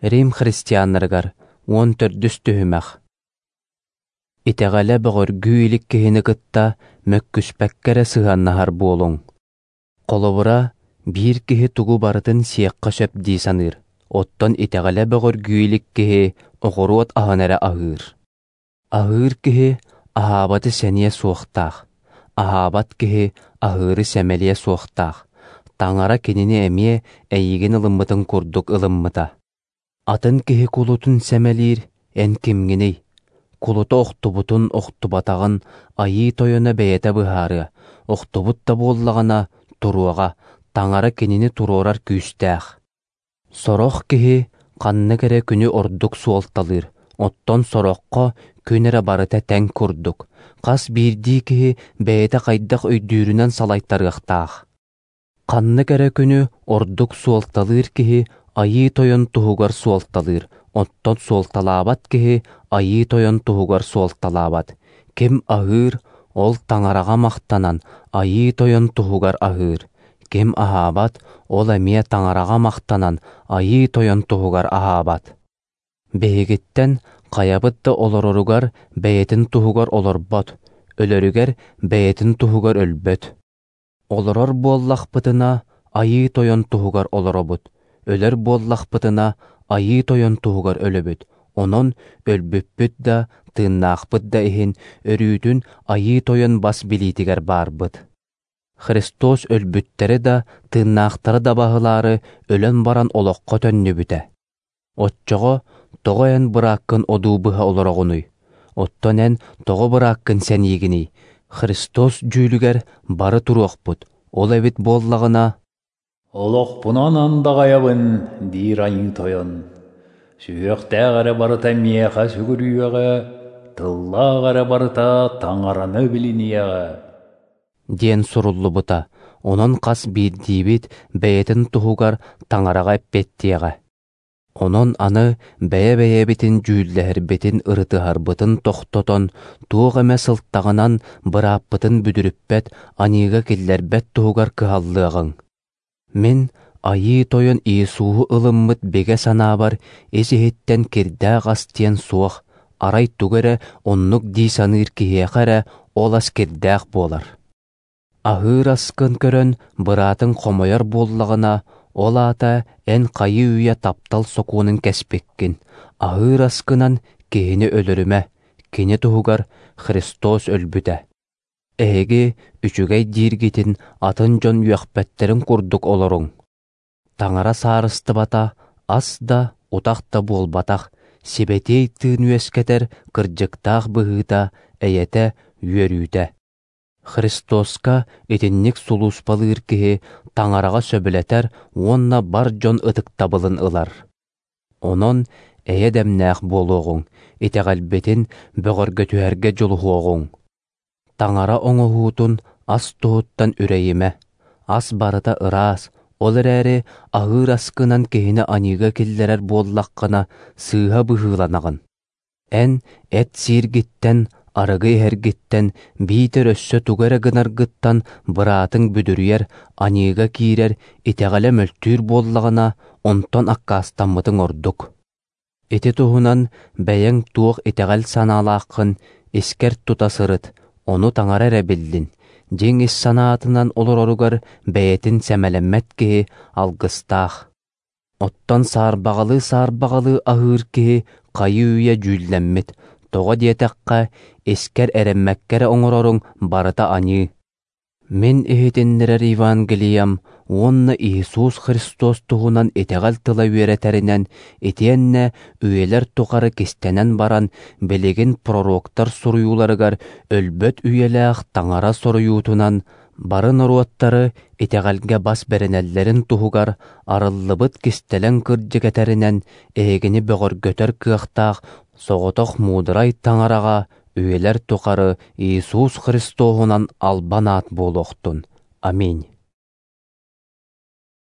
Рим христианнарыгар 14-үс түһүмэх. Итэҕэлэ бөҕөргүү илик киһини кытта мөккүспэккэ эрэ сыһыаннаһар буолуҥ. Холобура, биир киһи тугу барытын сиэххэ сөп дии саныыр, оттон итэҕэлэ бөҕөргүү илик киһи оҕуруот аһын эрэ аһыыр. Аһыыр киһи аһаабаты сэниэ суохтаах, аһаабат киһи аһыыры сэмэлиэ суохтаах. Таҥара кинини эмиэ эйигин ылыммытын курдук ылыммыта. Атын киһи кулутун сэмэлиир эн кимҥиний? Кулута охтубутун, охтубатаҕын Айыы Тойоно бэйэтэ быһаарыа, охтубут да буоллаҕына туруоҕа, Таҥара кинини туруорар күүстээх. Сорох киһи ханнык эрэ күнү ордук суолталыыр, оттон сороххо күн эрэ барыта тэҥ курдук. Хас биирдии киһи бэйэтэ хайдах өйдүүрүнэн салайтарыахтаах. Ханнык эрэ күнү ордук суолталыыр киһи Айыы Тойон туһугар суолталыыр, оттон суолталаабат киһи Айыы Тойон туһугар суолталаабат. Ким аһыыр, ол Таҥараҕа махтанан Айыы Тойон туһугар аһыыр. Ким аһаабат, ол эмиэ Таҥараҕа махтанан Айыы Тойон туһугар аһаабат. Биһигиттэн хайабыт да олороругар бэйэтин туһугар олорбот, өлөрүгэр бэйэтин туһугар өлбөт. Олорор буоллахпытына, Айыы Тойон туһугар олоробут, өлөр буоллахпытына, Айыы Тойон туһугар өлөбүт. Онон өлбүппүт да, тыыннаахпыт да иһин өрүүтүн Айыы Тойон бас билиитигэр баарбыт. Христос өлбүттэри да, тыыннаахтары да баһылаары өлөн баран олоххо төннүбүтэ. Оччоҕо тоҕо эн бырааккын одуу быһа олороҕунуй? Оттон эн тоҕо бырааккын сэниигиний? Христос дьүүлүгэр бары туруохпут, ол эбит буоллаҕына «Олохпунан андаҕайабын, диир Айыы Тойон, сүһүөхтээх эрэ барыта миэхэ сүгүрүйүөҕэ, тыллаах эрэ барыта Таҥараны билиниэҕэ» диэн суруллубута, онон хас биирдиибит бэйэтин туһугар Таҥараҕа эппиэттиэҕэ. Онон аны бэйэ-бэйэбитин дьүүллэһэрбитин, ырытыһарбытын тохтотон, туох эмэ сылтаҕынан бырааппытын бүдүрүппэт, аньыыга киллэрбэт туһугар кыһаллыаҕыҥ. Мин Айыы Тойон Иисуһу ылыммыт бигэ санаабар ис-иһиттэн кирдээх ас диэн суох, арай тугу эрэ оннук дии саныыр киһиэхэ эрэ ол ас кирдээх буолар. Аһыыр аскын көрөн быраатыҥ хомойор буоллаҕына, ол аата эн хайыы-үйэ таптал сокуонун кэспиккин, аһыыр аскынан киһини өлөрүмэ, кини туһугар Христос өлбүтэ. Эһиги үчүгэй дииргитин атын дьон үөхпэттэрин курдук олоруҥ. Таҥара саарыстыбата ас да, утах да буолбатах, сибэтиэй тыын үөскэтэр кырдьыктаах быһыыта, эйэтэ, үөрүүтэ. Христоска итинник сулууспалыыр киһи Таҥараҕа сөбүлэтэр уонна бар дьон ытыктабылын ылар. Онон эйэ дэмнээх буолуоҕуҥ, итэҕэлбитин бөҕөргөтүһэргэ дьулуһуоҕуҥ. Таҥара оҥоһуутун ас туһуттан үрэйимэ, ас барыта ыраас, ол эрээри аһыыр аскынан киһини аньыыга киллэрэр буоллаххына, сыыһа быһыыланаҕын. Эн эт сииргиттэн, арыгы иһэргиттэн, биитэр өссө тугу эрэ гынаргыттан быраатыҥ бүдүрүйэр, аньыыга киирэр, итэҕэлэ мөлтүүр буоллаҕына, онтон аккаастаммытыҥ ордук. Ити туһунан бэйэҥ туох итэҕэл санаалааххын искэр тута сырыт, ону Таҥара эрэ биллин. Дьиҥ ис санаатынан олороругар бэйэтин сэмэлэммэт киһи алгыстаах. Оттон саарбаҕалыы-саарбаҕалыы аһыыр киһи хайыы-үйэ дьүүллэммит, тоҕо диэтэххэ, искэр эрэммэккэ эрэ оҥороруҥ барыта аньыы. Мин иһитиннэрэр Евангелиям уонна Иисус Христос туһунан итэҕэл тыла үөрэтэринэн, итиэннэ үйэлэр тухары кистэнэн баран, билигин пророктар суруйууларыгар өлбөт үйэлээх Таҥара соруйуутунан бары норуоттары итэҕэлгэ бас бэринэллэрин туһугар арыллыбыт кистэлэҥ кырдьык этэринэн эһигини бөҕөргөтөр кыахтаах соҕотох муударай Таҥараҕа үйэлэр тухары Иисус Христоһунан албан аат буолуохтун. Аминь.